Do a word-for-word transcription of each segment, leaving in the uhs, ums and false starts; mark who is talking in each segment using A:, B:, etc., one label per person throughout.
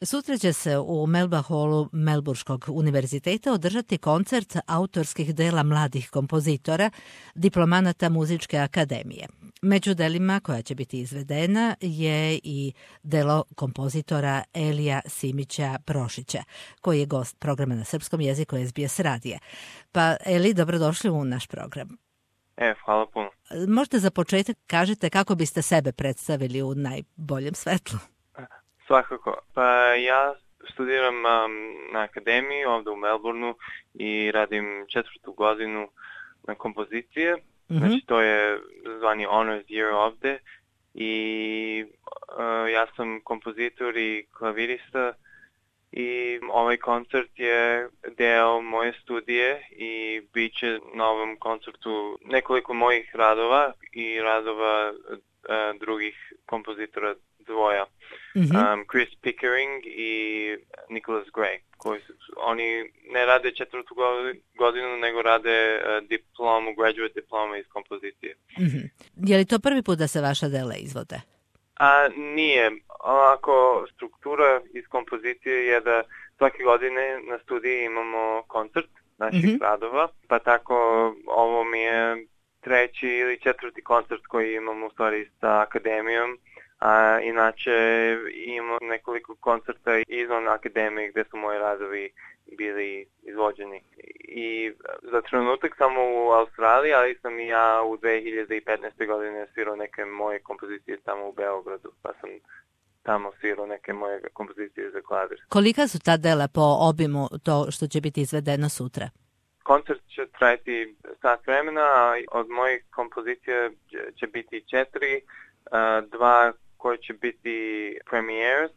A: Sutra će se u Melba Hallu Melburškog univerziteta održati koncert autorskih dela mladih kompozitora, diplomanata muzičke akademije. Među delima koja će biti izvedena je i delo kompozitora Elija Simića Prošića, koji je gost programa na srpskom jeziku S B S radija. Pa Eli, dobrodošli u naš program.
B: E, hvala puno.
A: Možete za početak kažete kako biste sebe predstavili u najboljem svetlu?
B: Svakako. Pa ja studiram um, na akademiji ovdje u Melbourneu i radim četvrtu godinu na kompozicije. Mm-hmm. Znači to je zvani Honors Year ovdje i uh, ja sam kompozitor i klavirista i ovaj koncert je deo moje studije i bit će na ovom koncertu nekoliko mojih radova i radova uh, drugih kompozitora dvoja. Mm-hmm. Um, Chris Pickering i Nicholas Gray, koji su, oni ne rade četvrtu godinu, nego rade uh, diplomu, graduate diploma iz kompozicije.
A: Mm-hmm. Je li to prvi put da se vaša dela izvode?
B: A, nije. Ovako, struktura iz kompozicije je da svake godine na studiji imamo koncert naših mm-hmm. radova, pa tako ovo mi je treći ili četvrti koncert koji imamo u stvari sa akademijom. A inače imamo nekoliko koncerta izvan akademije gdje su moji radovi bili izvođeni. I za trenutak sam u Australiji, ali sam i ja u dve hiljade petnaeste. godine svirao neke moje kompozicije tamo u Beogradu, pa sam tamo svirao neke moje kompozicije za klavir.
A: Kolika su ta dela po obimu to što će biti izvedeno sutra?
B: Koncert će trajati sat vremena, a od mojih kompozicija će biti četiri, dva koji će biti premieres.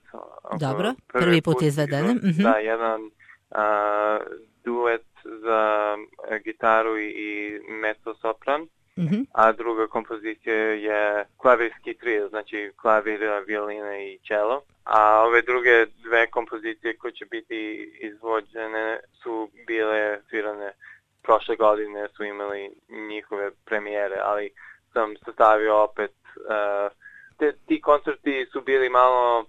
A: Dobro, prvi, prvi put, put izvedene. Mm-hmm.
B: Da, jedan uh, duet za gitaru i mezzo-sopran, mm-hmm. a druga kompozicija je klavirski trio, znači klavir, violina i cello. A ove druge dve kompozicije koje će biti izvođene su bile svirane prošle godine, su imali njihove premijere, ali sam sastavio opet uh, Te, ti koncerti su bili malo,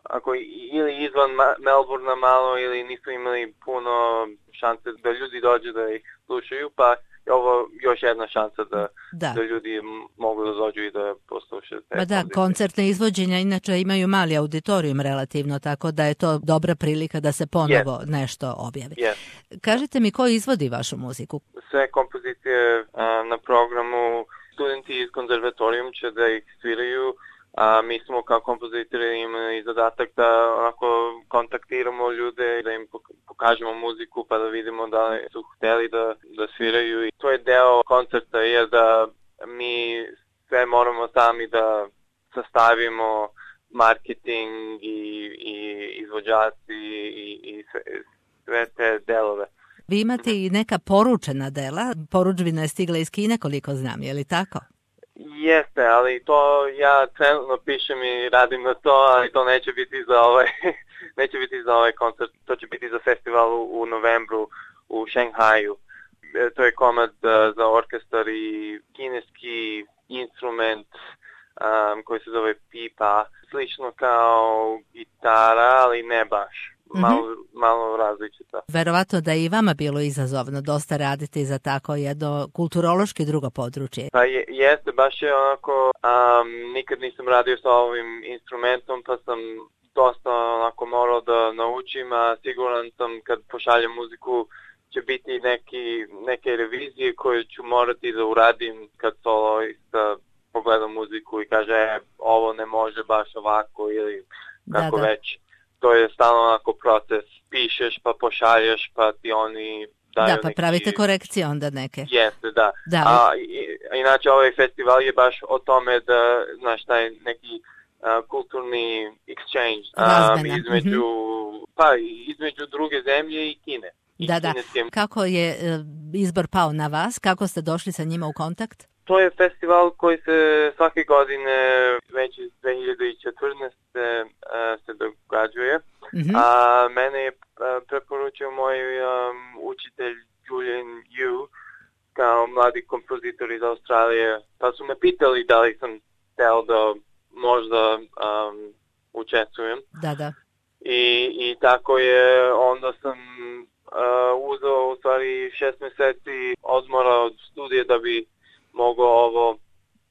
B: ako ili izvan Melbournea malo, ili nisu imali puno šanse da ljudi dođu da ih slušaju, pa je ovo još jedna šansa da, da. da ljudi mogu da dođu i da poslušaju.
A: Pa da, koncertne izvođenja inače imaju mali auditorijum relativno, tako da je to dobra prilika da se ponovo yes. nešto objavi.
B: Yes.
A: Kažite mi, ko izvodi vašu muziku?
B: Sve kompozicije uh, na programu studenti iz konzervatorijum će da ih sviraju, a mi smo kao kompozitori imali zadatak da onako kontaktiramo ljude, da im pokažemo muziku pa da vidimo da li su hteli da, da sviraju. I to je deo koncerta, jer da mi sve moramo sami da sastavimo marketing i, i izvođaci i, i sve, sve te delove.
A: Vi imate i neka poručena dela, poručbina je stigla iz Kine koliko znam, je li tako?
B: Jeste, ali to ja trenutno pišem i radim na to, ali to neće biti za ovaj, neće biti za ovaj koncert, to će biti za festival u, u novembru u Šanghaju. E, to je komad uh, za orkestar i kineski instrument um, koji se zove pipa, slično kao gitara, ali ne baš. Malo, mm-hmm. malo različita.
A: Verovatno da je i vama bilo izazovno dosta raditi za tako jedno kulturološki drugo područje.
B: Pa je, jeste, baš je onako, um, nikad nisam radio sa ovim instrumentom, pa sam dosta onako morao da naučim, a siguran sam kad pošaljem muziku će biti neki, neke revizije koje ću morati da uradim kad soloista pogledam muziku i kaže e, ovo ne može baš ovako ili kako da, da. već. To je stalno onako proces, pišeš pa pošalješ pa ti oni daju
A: Da, pa neki... pravite korekcije onda neke.
B: Jeste, da.
A: da.
B: A i, inače ovaj festival je baš o tome da, znaš, taj neki uh, kulturni exchange um, između, mm-hmm. pa, između druge zemlje i Kine. I
A: da, da.
B: Kineskim.
A: Kako je uh, izbor pao na vas? Kako ste došli sa njima u kontakt?
B: To je festival koji se svake godine već iz dve hiljade četrnaeste. Uh, se događuje. Mm-hmm. A mene je uh, preporučio moj um, učitelj Julian Yu kao mladi kompozitor iz Australije. Pa su me pitali da li sam hteo da možda um, učestvujem.
A: Da, da.
B: I i tako je, onda sam uh, uzeo u stvari šest meseci odmora od studije da bi mogao ovo...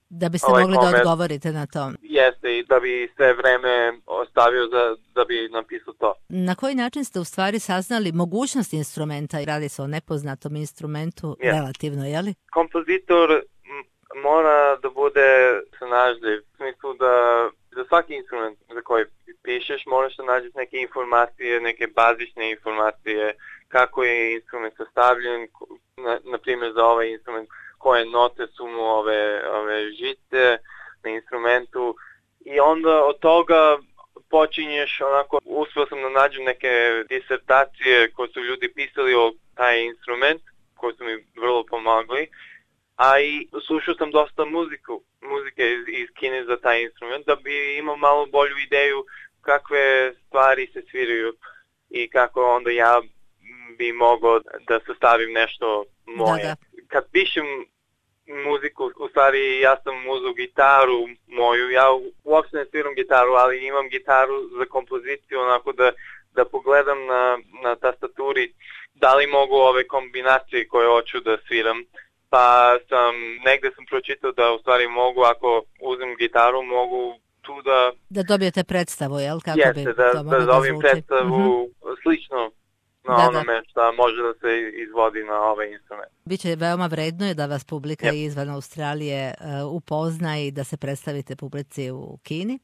A: Da biste
B: ovaj
A: mogli
B: komer,
A: da odgovorite na to.
B: Jeste, i da bi sve vreme ostavio za, da bi napisao to.
A: Na koji način ste u stvari saznali mogućnost instrumenta? Radi se o nepoznatom instrumentu,
B: yes.
A: relativno, je li?
B: Kompozitor m- mora da bude snalažljiv. U smislu da za svaki instrument za koji pišeš moraš da nađeš neke informacije, neke bazične informacije, kako je instrument sastavljen, na, na primjer za ovaj instrument, koje note su mu ove, ove žice na instrumentu i onda od toga počinješ onako, uspio sam da nađem neke disertacije koje su ljudi pisali o taj instrument, koji su mi vrlo pomagli, a i slušao sam dosta muziku, muzike iz, iz Kine za taj instrument, da bi imao malo bolju ideju kakve stvari se sviraju i kako onda ja bi mogao da sastavim nešto moje. Da, da. Kad pišem muziku, u stvari ja sam uzeo gitaru moju, ja uopšte ne sviram gitaru, ali imam gitaru za kompoziciju, onako da, da pogledam na, na tastaturi da li mogu ove kombinacije koje hoću da sviram, pa sam, negde sam pročitao da u stvari mogu, ako uzem gitaru, mogu tu da...
A: Da dobijete predstavu, jel? Kako
B: jeste,
A: bi
B: da,
A: to
B: da dobijem predstavu
A: mm-hmm.
B: slično na da, onome što može da se izvodi na ovaj instrument.
A: Biće veoma vredno je da vas publika
B: yep.
A: izvan Australije uh, upozna i da se predstavite publici u Kini.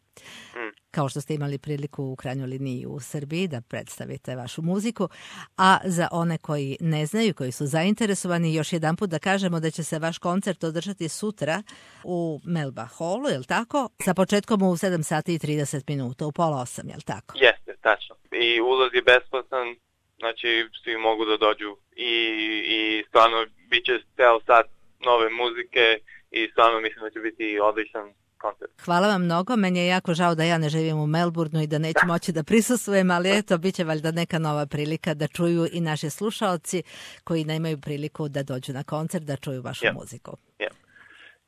A: Mm. Kao što ste imali priliku u krajnjoj liniji u Srbiji da predstavite vašu muziku. A za one koji ne znaju, koji su zainteresovani, još jedan put da kažemo da će se vaš koncert održati sutra u Melba Hallu, je li tako? Sa početkom u sedam sati i trideset minuta, u pola osam, je li tako?
B: Jeste, tačno. I ulaz je besplatan. Znači, svi mogu da dođu i, i stvarno bit će ceo sat nove muzike i stvarno mislim da će biti odličan koncert.
A: Hvala vam mnogo, meni je jako žao da ja ne živim u Melbourneu i da neću moći da prisustvujem, ali eto, bit će valjda neka nova prilika da čuju i naši slušaoci koji nemaju priliku da dođu na koncert, da čuju vašu
B: yeah.
A: muziku.
B: Yeah.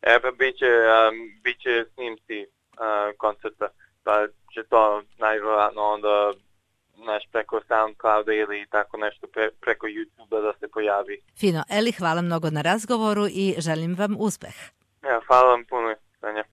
B: E pa bit će, um, bit će snimci uh, koncerta, pa će to najvjerojatno onda naš preko SoundClouda ili tako nešto pre, preko YouTubea da se pojavi.
A: Fino. Eli, hvala mnogo na razgovoru i želim vam uspeh.
B: Ja, hvala vam puno, Sanja.